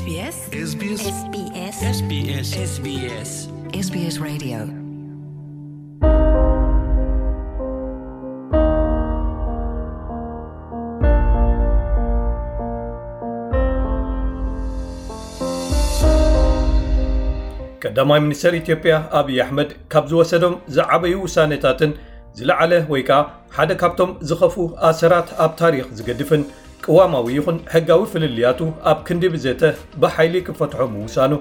SBS SBS SBS SBS SBS Radio. ቀዳማይ ሚኒስተር ኢትዮጵያ ኣብይ ኣሕመድ ካብ ዝወሰዶም ዝዓበዩ ውሳኔታትን ዝለዓለ ወይ ከኣ ሓደ ካብቶም ዝኸፍኡ ኣሰራት ኣብ ታሪኽ ዝገድፍን ቅዋማዊ ይኹን ሕጋዊ ፍልልያቱ ኣብ ክንዲ ብዘተ ብሓይሊ ክፈትሖ ምውሳኑ፣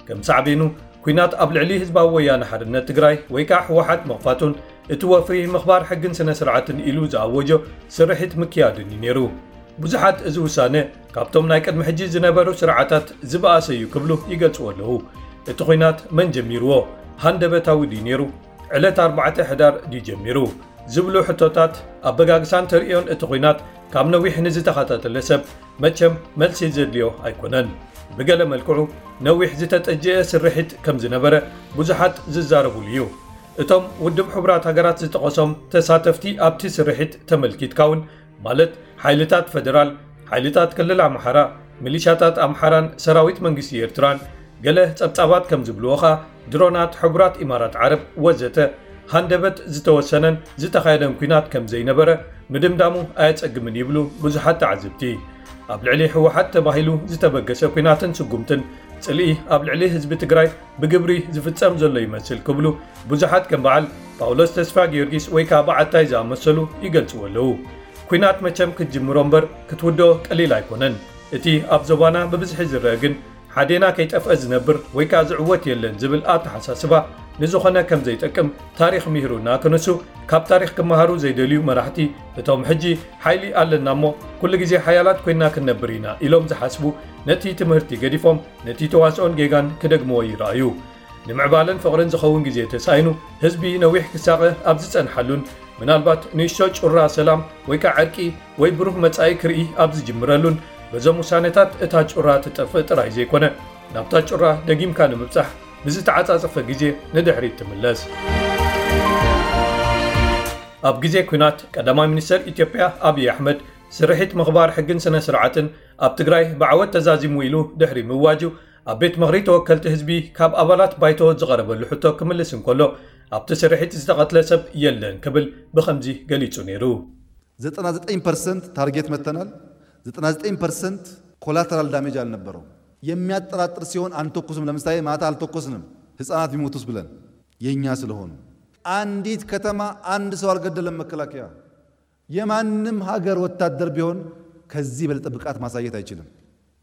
ከም ሳዕቤኑ ኲናት ኣብ ልዕሊ ህዝባዊ ወያነ ሓርነት ትግራይ ወይ ከኣ ህወሓት ምኽፋቱን እቲ ወፍሪ ምኽባር ሕግን ስነ ስርዓትን ኢሉ ዝኣወጆ ስርሒት ምክያዱን እዩ ነይሩ። ብዙሓት እዚ ውሳነ ካብቶም ናይ ቅድሚ ሕጂ ዝነበሩ ስርዓታት ዝበኣሰ እዩ ክብሉ ይገልጽዎ ኣለዉ። እቲ ኲናት መን ጀሚርዎ? ሃንደበታዊ ድዩ ነይሩ? ዕለት ኣርባዕተ ሕዳር ድዩ ጀሚሩ? ዝብሉ ሕቶታት ኣበጋግሳን ተርእዮን እቲ ኲናት ካብ ነዊሕ ንዝተኸታተለ ሰብ መቸም መልሲ ዘድልዮ ኣይኮነን። ብገለ መልክዑ ነዊሕ ዝተጠጀአ ስርሒት ከም ዝነበረ ብዙሓት ዝዛረቡሉ እዩ። እቶም ውድብ ሕቡራት ሃገራት ዝጠቐሶም ተሳተፍቲ ኣብቲ ስርሒት ተመልኪትካ እውን፣ ማለት ሓይልታት ፈደራል፣ ሓይልታት ክልል ኣምሓራ፣ ሚሊሻታት ኣምሓራን ሰራዊት መንግስቲ ኤርትራን፣ ገለ ጸብጻባት ከም ዝብልዎ ኸኣ ድሮናት ሕቡራት ኢማራት ዓረብ ወዘተ ሃንደበት ዝተወሰነን ዝተኻየደን ኲናት ከም ዘይነበረ ምድምዳሙ ኣየጸግምን ይብሉ ብዙሓት ተዓዘብቲ። ኣብ ልዕሊ ህወሓት ተባሂሉ ዝተበገሰ ኲናትን ስጉምትን ጽልኢ ኣብ ልዕሊ ህዝቢ ትግራይ ብግብሪ ዝፍጸም ዘሎ ይመስል ክብሉ ብዙሓት ከም በዓል ጳውሎስ ተስፋ ጊዮርጊስ ወይ ከኣ በዓታይ ዝኣመሰሉ ይገልጽዎ ኣለዉ። ኲናት መቸም ክትጅምሮ እምበር ክትውድኦ ቀሊል ኣይኮነን። እቲ ኣብ ዞባና ብብዝሒ ዝረአ ግን ሓዴና ከይጠፍአ ዝነብር ወይ ከኣ ዝዕወት የለን ዝብል ኣተሓሳስባ ንዝኾነ ከም ዘይጠቅም ታሪኽ ምሂሩና ክንሱ፣ ካብ ታሪኽ ክመሃሩ ዘይደልዩ መራሕቲ፣ እቶም ሕጂ ሓይሊ ኣለና እሞ ኩሉ ግዜ ሓያላት ኮይና ክንነብር ኢና ኢሎም ዝሓስቡ፣ ነቲ ትምህርቲ ገዲፎም ነቲ ተዋስኦን ጌጋን ክደግምዎ ይረኣዩ። ንምዕባለን ፍቕርን ዝኸውን ግዜ ተሳኢኑ፣ ህዝቢ ነዊሕ ክሳቐ ኣብ ዝጸንሓሉን ምናልባት ንእሽቶ ጩራ ሰላም ወይ ከኣ ዕርቂ ወይ ብሩህ መጻኢ ክርኢ ኣብ ዝጅምረሉን፣ በዞም ውሳኔታት እታ ጩራ ትጠፍእ ጥራይ ዘይኮነ፣ ናብታ ጩራ ደጊምካ ንምብጻሕ ብዝተዓጻጸፈ ግዜ ንድሕሪት ትምለስ። ኣብ ግዜ ኲናት ቀዳማይ ሚኒስተር ኢትዮጵያ ኣብይ ኣሕመድ ስርሒት ምኽባር ሕግን ስነ ስርዓትን ኣብ ትግራይ ብዓወት ተዛዚሙ ኢሉ ድሕሪ ምዋጁ ኣብ ቤት ምኽሪ ተወከልቲ ህዝቢ ካብ ኣባላት ባይቶ ዝቐረበሉ ሕቶ ክምልስ እንከሎ ኣብቲ ስርሒት ዝተቐትለ ሰብ የለን ክብል ብኸምዚ ገሊጹ ነይሩ። ዘጠና ዘጠኝ ፐርሰንት ታርጌት መተናል። ዘጠና ዘጠኝ ፐርሰንት ኮላተራል ዳሜጅ አልነበረው። የሚያጠራጥር ሲሆን አንተኩስም። ለምሳሌ ማታ አልተኮስንም ህፃናት ቢሞቱስ ብለን የኛ ስለሆኑ። አንዲት ከተማ አንድ ሰው አልገደለም መከላከያ። የማንም ሀገር ወታደር ቢሆን ከዚህ በለጠ ብቃት ማሳየት አይችልም።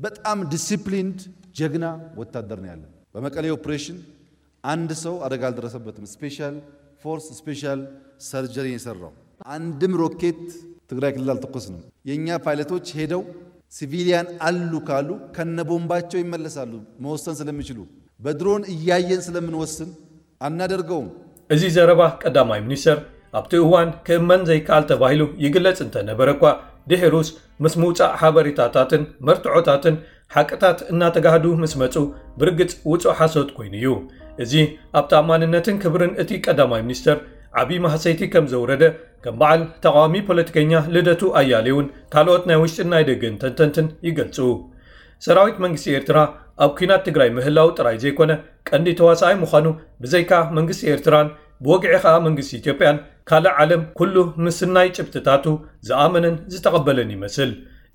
በጣም ዲሲፕሊንድ ጀግና ወታደር ነው ያለን። በመቀሌ ኦፕሬሽን አንድ ሰው አደጋ አልደረሰበትም። ስፔሻል ፎርስ ስፔሻል ሰርጀሪ የሰራው አንድም ሮኬት ትግራይ ክልል አልተኮስንም። የእኛ ፓይለቶች ሄደው ሲቪሊያን አሉ ካሉ ከነቦምባቸው ይመለሳሉ። መወሰን ስለሚችሉ በድሮን እያየን ስለምንወስን አናደርገውም። እዚ ዘረባ ቀዳማይ ሚኒስተር ኣብቲ እዋን ክእመን ዘይከኣል ተባሂሉ ይግለጽ እንተነበረ እኳ ድሒሩስ ምስ ምውጻእ ሓበሬታታትን መርትዖታትን ሓቅታት እናተጋህዱ ምስ መጹ ብርግጽ ውጹእ ሓሶት ኮይኑ እዩ። እዚ ኣብ ተኣማንነትን ክብርን እቲ ቀዳማይ ሚኒስተር ዓቢ ማህሰይቲ ከም ዘውረደ ከም በዓል ተቓዋሚ ፖለቲከኛ ልደቱ ኣያሌውን ካልኦት ናይ ውሽጥን ናይ ደገን ተንተንትን ይገልጹ። ሰራዊት መንግስቲ ኤርትራ ኣብ ኲናት ትግራይ ምህላው ጥራይ ዘይኮነ ቀንዲ ተዋሳኣይ ምዃኑ ብዘይካ መንግስቲ ኤርትራን ብወግዒ ከኣ መንግስቲ ኢትዮጵያን ካልእ ዓለም ኩሉ ምስናይ ጭብጥታቱ ዝኣመነን ዝተቐበለን ይመስል።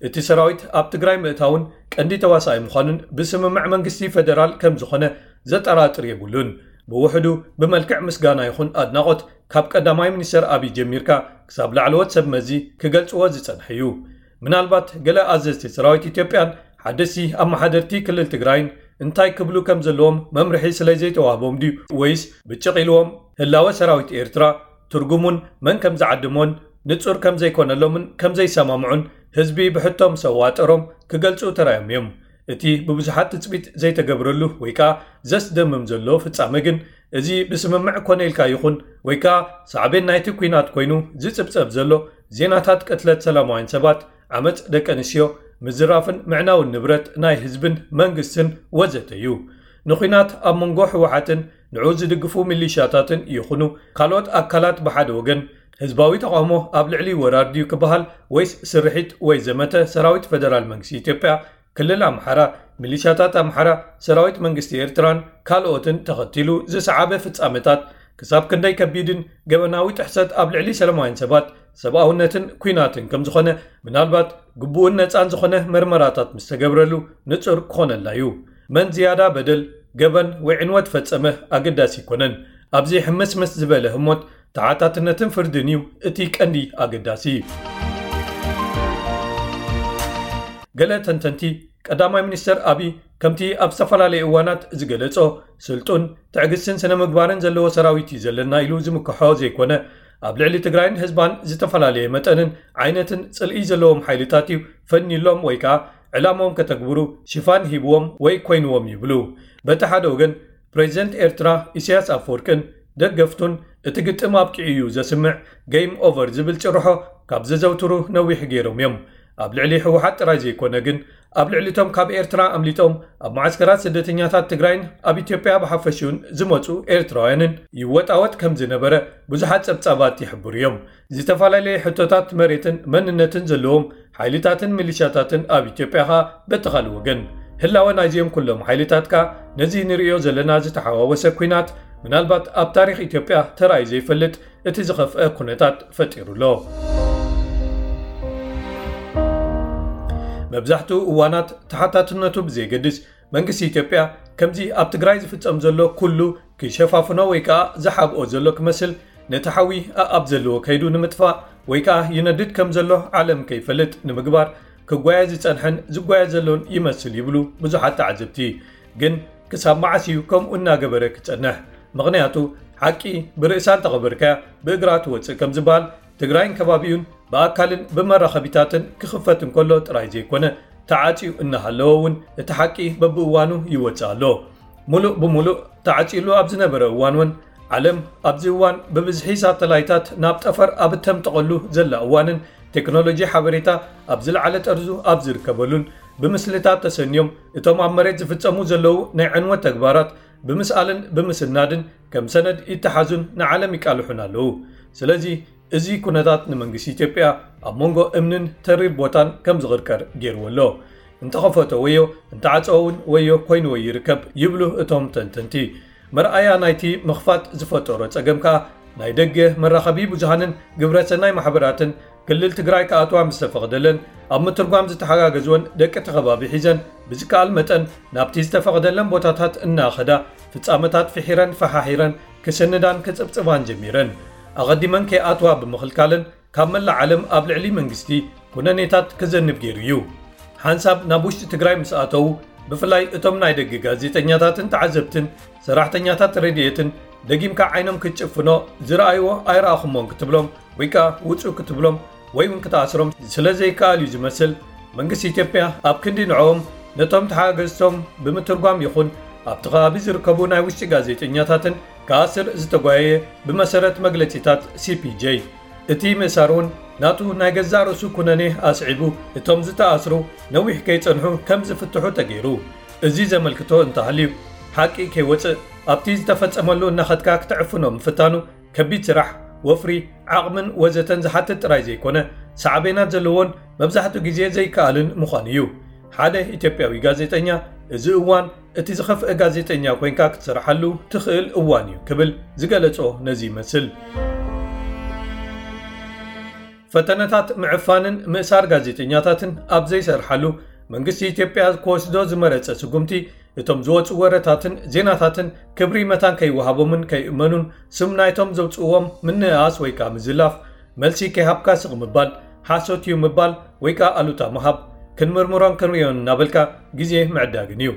እቲ ሰራዊት ኣብ ትግራይ ምእታውን ቀንዲ ተዋሳኣይ ምዃኑን ብስምምዕ መንግስቲ ፈደራል ከም ዝኾነ ዘጠራጥር የብሉን። ብውሕዱ ብመልክዕ ምስጋና ይኹን ኣድናቖት ካብ ቀዳማይ ሚኒስተር ኣብይ ጀሚርካ ክሳብ ላዕለዎት ሰብ መዚ ክገልጽዎ ዝጸንሐ እዩ። ምናልባት ገለ ኣዘዝቲ ሰራዊት ኢትዮጵያን ሓደስቲ ኣመሓደርቲ ክልል ትግራይን እንታይ ክብሉ ከም ዘለዎም መምርሒ ስለ ዘይተዋህቦም ድዩ ወይስ ብጭቕ ኢልዎም ህላወ ሰራዊት ኤርትራ ትርጉሙን መን ከም ዝዓድሞን ንጹር ከም ዘይኮነሎምን ከም ዘይሰማምዑን ህዝቢ ብሕቶ ምስ ኣዋጠሮም ክገልጹ ተራዮም እዮም። እቲ ብብዙሓት ትጽቢት ዘይተገብረሉ ወይ ከኣ ዘስደምም ዘሎ ፍጻመ ግን እዚ ብስምምዕ ኮነ ኢልካ ይኹን ወይ ከኣ ሳዕቤን ናይቲ ኲናት ኮይኑ ዝጽብጸብ ዘሎ ዜናታት ቅትለት ሰላማውያን ሰባት፣ ዓመጽ ደቂ ኣንስትዮ፣ ምዝራፍን ምዕናውን ንብረት ናይ ህዝብን መንግስትን ወዘተ እዩ። ንኲናት ኣብ መንጎ ህወሓትን ንዕኡ ዝድግፉ ሚሊሻታትን ይኹኑ ካልኦት ኣካላት ብሓደ ወገን ህዝባዊ ተቓውሞ ኣብ ልዕሊ ወራር ድዩ ክበሃል ወይስ ስርሒት ወይ ዘመተ ሰራዊት ፈደራል መንግስቲ ኢትዮጵያ ክልል ኣምሓራ ሚሊሻታት ኣምሓራ፣ ሰራዊት መንግስቲ ኤርትራን ካልኦትን ተኸቲሉ ዝሰዓበ ፍጻመታት ክሳብ ክንደይ ከቢድን ገበናዊ ጥሕሰት ኣብ ልዕሊ ሰላማውያን ሰባት፣ ሰብኣውነትን ኲናትን ከም ዝኾነ፣ ምናልባት ግቡእን ነጻን ዝኾነ መርመራታት ምስ ተገብረሉ ንጹር ክኾነልና እዩ። መን ዝያዳ በደል፣ ገበን ወይ ዕንወት ፈጸመ ኣገዳሲ ኣይኮነን። ኣብዚ ሕምስምስ ዝበለ ህሞት ተሓታትነትን ፍርድን እዩ እቲ ቀንዲ ኣገዳሲ። ገለ ተንተንቲ፣ ቀዳማይ ሚኒስተር ኣቢይ ከምቲ ኣብ ዝተፈላለዩ እዋናት ዝገለጾ፣ ስልጡን፣ ትዕግስትን ስነ ምግባርን ዘለዎ ሰራዊት እዩ ዘለና ኢሉ ዝምክሖ ዘይኮነ፣ ኣብ ልዕሊ ትግራይን ህዝባን ዝተፈላለየ መጠንን ዓይነትን ጽልኢ ዘለዎም ሓይልታት እዩ ፈንዩሎም ወይ ከኣ ዕላምኦም ከተግብሩ ሽፋን ሂብዎም ወይ ኮይንዎም ይብሉ። በቲ ሓደ ወገን፣ ፕሬዚደንት ኤርትራ ኢሳያስ ኣፈወርቅን ደገፍቱን እቲ ግጥም ኣብቂዑ እዩ ዘስምዕ፣ ጌም ኦቨር ዝብል ጭርሖ ካብ ዘዘውትሩ ነዊሕ ገይሮም እዮም። ኣብ ልዕሊ ህወሓት ጥራይ ዘይኮነ ግን፣ ኣብ ልዕሊ እቶም ካብ ኤርትራ ኣምሊጦም ኣብ መዓስከራት ስደተኛታት ትግራይን ኣብ ኢትዮጵያ ብሓፈሽኡን ዝመጹ ኤርትራውያንን ይወጣወጥ ከም ዝነበረ ብዙሓት ጸብጻባት ይሕብሩ እዮም። ዝተፈላለየ ሕቶታት መሬትን መንነትን ዘለዎም ሓይልታትን ሚሊሻታትን ኣብ ኢትዮጵያ ኸኣ በቲ ካልእ ወገን። ህላወ ናይዚኦም ኩሎም ሓይልታት ከኣ ነዚ ንርእዮ ዘለና ዝተሓዋወሰ ኲናት ምናልባት ኣብ ታሪኽ ኢትዮጵያ ተራእዩ ዘይፈልጥ እቲ ዝኸፍአ ኩነታት ፈጢሩ ኣሎ። መብዛሕትኡ እዋናት ተሓታትነቱ ብዘየገድስ መንግስቲ ኢትዮጵያ ከምዚ ኣብ ትግራይ ዝፍጸም ዘሎ ኩሉ ክሸፋፍኖ ወይ ከኣ ዝሓብኦ ዘሎ ክመስል ነቲ ሓዊ ኣኣብ ዘለዎ ከይዱ ንምጥፋእ ወይ ከኣ ይነድድ ከም ዘሎ ዓለም ከይፈልጥ ንምግባር ክጓየ ዝጸንሐን ዝጓየ ዘሎን ይመስል ይብሉ ብዙሓት ተዓዘብቲ። ግን ክሳብ መዓስ እዩ ከምኡ እናገበረ ክጸንሕ? ምኽንያቱ ሓቂ ብርእሳ እንተቐበርካያ ብእግራ ትወጽእ ከም ዝበሃል ትግራይን ከባቢኡን ብኣካልን ብመራኸቢታትን ክኽፈት እንከሎ ጥራይ ዘይኮነ ተዓጽዩ እናሃለወ እውን እቲ ሓቂ በብእዋኑ ይወጽእ ኣሎ። ሙሉእ ብሙሉእ ተዓጺሉ ኣብ ዝነበረ እዋን እውን ዓለም ኣብዚ እዋን ብብዝሒ ሳተላይታት ናብ ጠፈር ኣብ እተምጠቐሉ ዘላ እዋንን ቴክኖሎጂ ሓበሬታ ኣብ ዝለዓለ ጠርዙ ኣብ ዝርከበሉን ብምስልታት ተሰንዮም እቶም ኣብ መሬት ዝፍጸሙ ዘለዉ ናይ ዕንወት ተግባራት ብምስኣልን ብምስናድን ከም ሰነድ ይተሓዙን ንዓለም ይቃልሑን ኣለዉ። ስለዚ እዚ ኩነታት ንመንግስቲ ኢትዮጵያ ኣብ መንጎ እምንን ተሪር ቦታን ከም ዝቕርቀር ገይርዎ ኣሎ። እንተኸፈቶ ወዮ እንተዓጸወ እውን ወዮ ኮይንዎ ይርከብ ይብሉ እቶም ተንተንቲ። መርኣያ ናይቲ ምኽፋት ዝፈጠሮ ጸገም ከኣ ናይ ደገ መራኸቢ ብዙሃንን ግብረሰናይ ማሕበራትን ክልል ትግራይ ክኣትዋ ምስ ተፈቕደለን ኣብ ምትርጓም ዝተሓጋገዝወን ደቂ እቲ ከባቢ ሒዘን ብዝከኣል መጠን ናብቲ ዝተፈቕደለን ቦታታት እናኸዳ ፍጻመታት ፍሒረን ፈሓሒረን ክስንዳን ክጽብጽባን ጀሚረን። ኣቐዲመን ከይኣትዋ ብምኽልካለን ካብ መላእ ዓለም ኣብ ልዕሊ መንግስቲ ኩነኔታት ክዘንብ ገይሩ እዩ። ሓንሳብ ናብ ውሽጢ ትግራይ ምስ ኣተዉ ብፍላይ እቶም ናይ ደገ ጋዜጠኛታትን ተዓዘብትን ሰራሕተኛታት ረድኤትን ደጊምካ ዓይኖም ክትጭፍኖ ዝረኣይዎ ኣይረኣኹሞን ክትብሎም ወይ ከኣ ውጹ ክትብሎም ወይ እውን ክትኣስሮም ስለ ዘይከኣል እዩ ዝመስል መንግስቲ ኢትዮጵያ ኣብ ክንዲ ንዕኦም ነቶም ተሓጋገዝቶም ብምትርጓም ይኹን ኣብቲ ከባቢ ዝርከቡ ናይ ውሽጢ ጋዜጠኛታትን ክኣስር ዝተጓየየ ብመሰረት መግለጺታት ሲ ፒ ጄ። እቲ ምእሳር እውን ናቱ ናይ ገዛእ ርእሱ ኩነኔ ኣስዒቡ እቶም ዝተኣስሩ ነዊሕ ከይጸንሑ ከም ዝፍትሑ ተገይሩ። እዚ ዘመልክቶ እንተሃልዩ ሓቂ ከይወጽእ ኣብቲ ዝተፈጸመሉ እናኸድካ ክትዕፍኖ ምፍታኑ ከቢድ ስራሕ፣ ወፍሪ፣ ዓቕምን ወዘተን ዝሓትት ጥራይ ዘይኮነ ሳዕቤናት ዘለዎን መብዛሕትኡ ግዜ ዘይከኣልን ምዃኑ እዩ። ሓደ ኢትዮጵያዊ ጋዜጠኛ እዚ እዋን እቲ ዝኸፍአ ጋዜጠኛ ኮይንካ ክትሰርሓሉ ትኽእል እዋን እዩ ክብል ዝገለጾ ነዚ ይመስል። ፈተነታት ምዕፋንን ምእሳር ጋዜጠኛታትን ኣብ ዘይሰርሓሉ መንግስቲ ኢትዮጵያ ክወስዶ ዝመረጸ ስጉምቲ እቶም ዝወጹ ወረታትን ዜናታትን ክብሪ መታን ከይወሃቦምን ከይእመኑን ስም ናይቶም ዘውጽእዎም ምንእኣስ ወይ ከኣ ምዝላፍ መልሲ ከይሃብካ ስቕ ምባል፣ ሓሶት እዩ ምባል ወይ ከኣ ኣሉታ ምሃብ፣ ክንምርምሮን ክንርእዮን እናበልካ ግዜ ምዕዳግን እዩ።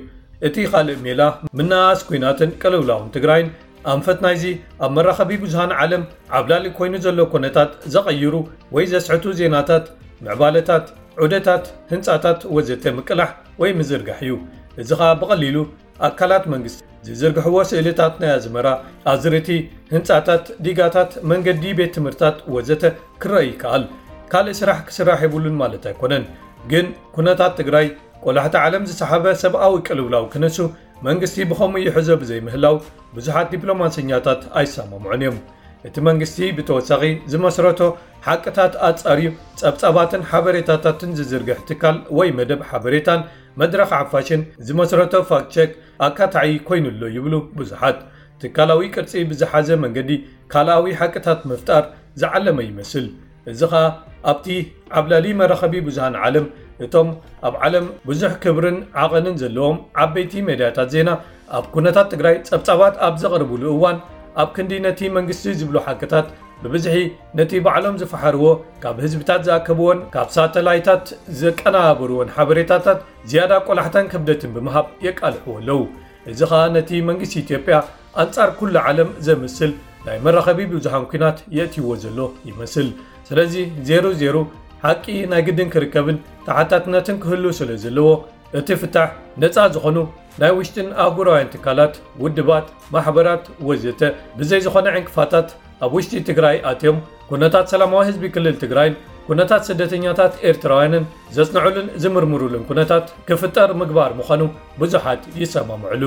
እቲ ካልእ ሜላ ምንኣስ ኲናትን ቅልውላውን ትግራይን ኣንፈት ናይዚ ኣብ መራኸቢ ብዙሃን ዓለም ዓብላሊ ኮይኑ ዘሎ ኮነታት ዘቐይሩ ወይ ዘስሕቱ ዜናታት፣ ምዕባለታት፣ ዑደታት፣ ህንጻታት ወዘተ ምቅላሕ ወይ ምዝርጋሕ እዩ። እዚ ኸኣ ብቐሊሉ ኣካላት መንግስቲ ዝዝርግሕዎ ስእልታት ናይ ኣዝመራ፣ ኣዝርእቲ፣ ህንጻታት፣ ዲጋታት፣ መንገዲ፣ ቤት ትምህርታት ወዘተ ክረአ ይከኣል። ካልእ ስራሕ ክስራሕ የብሉን ማለት ኣይኮነን። ግን ኩነታት ትግራይ ቆላሕቲ ዓለም ዝሰሓበ ሰብኣዊ ቅልውላው ክነሱ መንግስቲ ብኸምኡ ይሕዞ ብዘይምህላው ብዙሓት ዲፕሎማሰኛታት ኣይሰማምዑን እዮም። እቲ መንግስቲ ብተወሳኺ ዝመስረቶ ሓቅታት ኣጻርዩ ጸብጻባትን ሓበሬታታትን ዝዝርግሕ ትካል ወይ መደብ ሓበሬታን መድረኽ ሓፋሽን ዝመስረቶ ፋክት ቸክ ኣካታዒ ኮይኑሎ ይብሉ ብዙሓት። ትካላዊ ቅርጺ ብዝሓዘ መንገዲ ካልኣዊ ሓቅታት ምፍጣር ዝዓለመ ይመስል። እዚ ኸኣ ኣብቲ ዓብላሊ መራኸቢ ብዙሃን ዓለም እቶም ኣብ ዓለም ብዙሕ ክብርን ዓቐንን ዘለዎም ዓበይቲ ሜድያታት ዜና ኣብ ኩነታት ትግራይ ጸብጻባት ኣብ ዘቕርብሉ እዋን ኣብ ክንዲ ነቲ መንግስቲ ዝብሎ ሓቅታት ብብዝሒ ነቲ ባዕሎም ዝፈሓርዎ ካብ ህዝብታት ዝኣከብዎን ካብ ሳተላይታት ዘቀናበርዎን ሓበሬታታት ዝያዳ ቆላሕታን ክብደትን ብምሃብ የቃልሕዎ ኣለዉ። እዚ ኸኣ ነቲ መንግስቲ ኢትዮጵያ ኣንጻር ኩሉ ዓለም ዘምስል ናይ መራኸቢ ብዙሃን ኲናት የእትይዎ ዘሎ ይመስል። ስለዚ ዜሩ ዜሩ ሓቂ ናይ ግድን ክርከብን ተሓታትነትን ክህሉ ስለ ዘለዎ እቲ ፍታሕ ነጻ ዝኾኑ ናይ ውሽጥን ኣህጉራውያን ትካላት፣ ውድባት፣ ማሕበራት ወዘተ ብዘይ ዝኾነ ዕንቅፋታት ኣብ ውሽጢ ትግራይ ኣትዮም ኩነታት ሰላማዊ ህዝቢ ክልል ትግራይን ኩነታት ስደተኛታት ኤርትራውያንን ዘጽንዑሉን ዝምርምሩሉን ኩነታት ክፍጠር ምግባር ምዃኑ ብዙሓት ይሰማምዕሉ።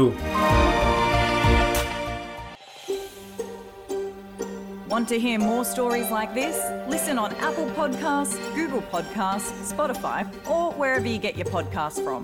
Want to hear more stories like this? Listen on Apple Podcasts, Google Podcasts, Spotify, or wherever you get your podcasts from.